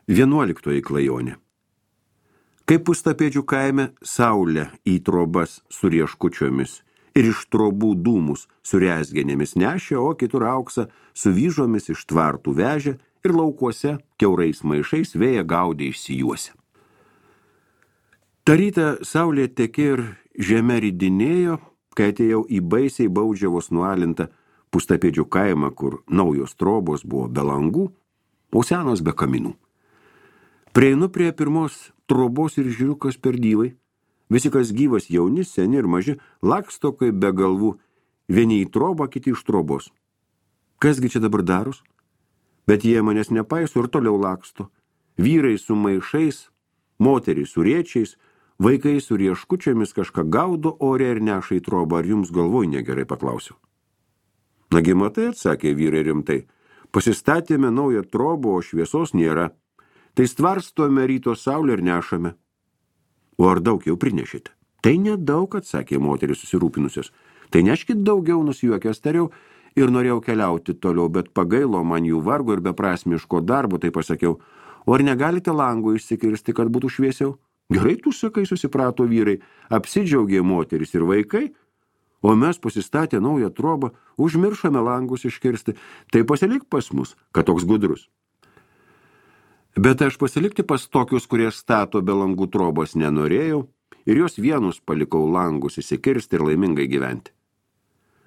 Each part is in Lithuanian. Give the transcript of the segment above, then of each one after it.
11 klajonė. Kaip Pustapėdžių kaime saulė į trobas su rieškučiomis ir iš trobų dūmus su rezgenėmis nešė, o kitur auksą su vyžomis iš tvartų vežė ir laukuose kiaurais maišais vėją gaudė išsijuose. Ta rytą saulė tekė ir žeme ridinėjo, kai atėjau į baisiai Baudžiavos nualintą Pustapėdžių kaimą, kur naujos trobos buvo be langų, o senos be kaminų. Prieinu prie pirmos trobos ir žiūriu, kas per dyvai. Visi, kas gyvas, jauni, seni ir maži, laksto kaip be galvų, vieni į trobą, kiti iš trobos. Kasgi čia dabar daros? Bet jie manęs nepaiso ir toliau laksto. Vyrai su maišais, moterys su riečiais, vaikai su rieškučiamis kažką gaudo ore ir neša į trobą. Ar jums galvoj negerai, paklausiau. Nagi matai, atsakė vyrai rimtai, pasistatėme naują trobą, o šviesos nėra. Tai stvarstome ryto saulę ir nešame. O ar daug jau prinešite? Tai nedaug, atsakė moteris susirūpinusios. Tai neškit daugiau, nusijuokęs tariau, ir norėjau keliauti toliau, bet pagailo man jų vargo ir beprasmiško darbo, tai pasakiau, o ar negalite langų išsikirsti, kad būtų šviesiau? Gerai, tu sakai, susiprato vyrai, apsidžiaugė moteris ir vaikai, o mes pasistatę naują trobą, užmiršome langus iškirsti, tai pasilik pas mus, kad toks gudrus. Bet aš pasilikti pas tokius, kurie stato be langų trobos nenorėjau, ir jos vienus palikau langus įsikirsti ir laimingai gyventi.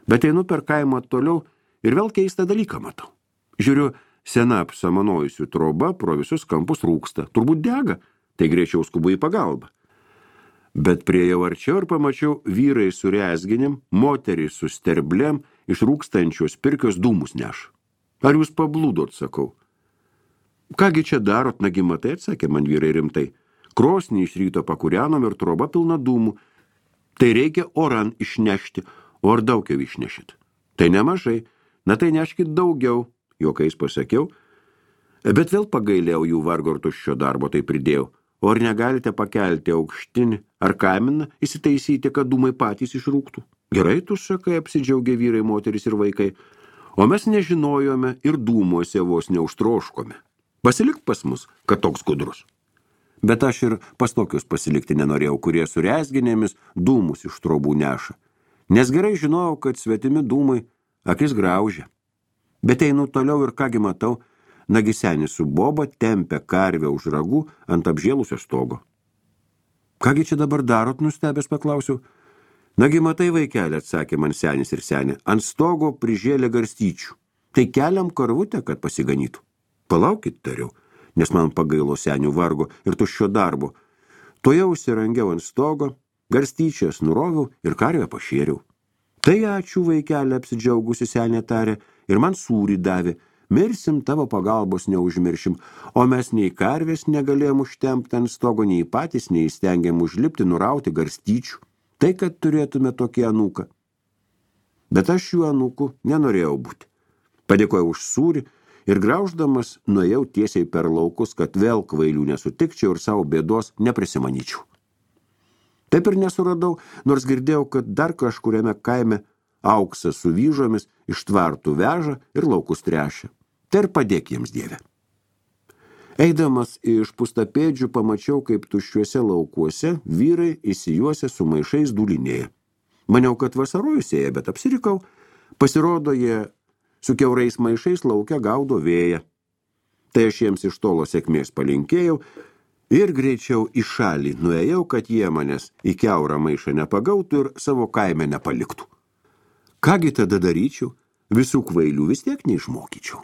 Bet einu per kaimą toliau ir vėl keistą dalyką matau. Žiūriu, sena apsamanojusių troba pro visus kampus rūksta, turbūt dega, tai greičiau skubu į pagalbą. Bet priejau arčiau ir pamačiau vyrai su rezginim, moterys su sterblėm iš rūkstančios pirkios dūmus neša. Ar jūs pablūdot, sakau. Kągi čia darot, nagi matai, atsakė man vyrai rimtai. Krosnį iš ryto pakūrenom ir troba pilna dūmų. Tai reikia oran išnešti, o ar daug jau išnešit? Tai nemažai, na tai neškit daugiau, juokais pasakiau. Bet vėl pagailėjau jų vargo ir tuščio darbo, tai pridėjau. O ar negalite pakelti aukštinį ar kaminą, įsitaisyti, kad dūmai patys išrūktų? Gerai, tu sakai, apsidžiaugė vyrai, moteris ir vaikai. O mes nežinojome ir dūmuose vos neužtroškome. Pasilik pas mus, kad toks gudrus. Bet aš ir pas tokius pasilikti nenorėjau, kurie su rezginėmis dūmus iš trobų neša. Nes gerai žinojau, kad svetimi dūmai akis graužia. Bet einu toliau ir kągi matau, nagi senis su boba tempia karvę už ragų ant apžėlusio stogo. Kągi čia dabar darot, nustebęs paklausiau. Nagi matai, vaikelė, atsakė man senis ir senė, ant stogo prižėlė garstyčių. Tai keliam karvutę, kad pasiganytų. Palaukit, tariau, nes man pagailo senių vargo ir tuščio darbo. Toje užsirangiau ant stogo, garstyčias nuroviau ir karvę pašėriau. Tai ačiū, vaikelė, apsidžiaugusi senė tarė, ir man sūrį davė. Mirsim, tavo pagalbos neužmiršim, o mes nei karvės negalėjom užtempti ant stogo, nei patys neįstengėm užlipti, nurauti garstyčių. Tai, kad turėtume tokį anūką. Bet aš jų anūkų nenorėjau būti. Padėkojau už sūrį, ir grauždamas nuėjau tiesiai per laukus, kad vėl kvailių nesutikčiau ir savo bėdos neprisimanyčiau. Taip ir nesuradau, nors girdėjau, kad dar kažkuriame kaime auksą su vyžomis iš tvartų veža ir laukus trešia. Tai ir padėk jiems, Dieve. Eidamas iš Pustapėdžių pamačiau, kaip tuščiuose laukuose vyrai įsijuose su maišais dūlinėja. Maniau, kad vasarojusėja, bet apsirikau. Pasirodo, jie su kiaurais maišais laukia gaudo vėją. Tai aš jiems iš tolo sėkmės palinkėjau ir greičiau į šalį nuėjau, kad jie manęs į kiaurą maišą nepagautų ir savo kaime nepaliktų. Kągi tada daryčiau? Visų kvailių vis tiek neišmokyčiau.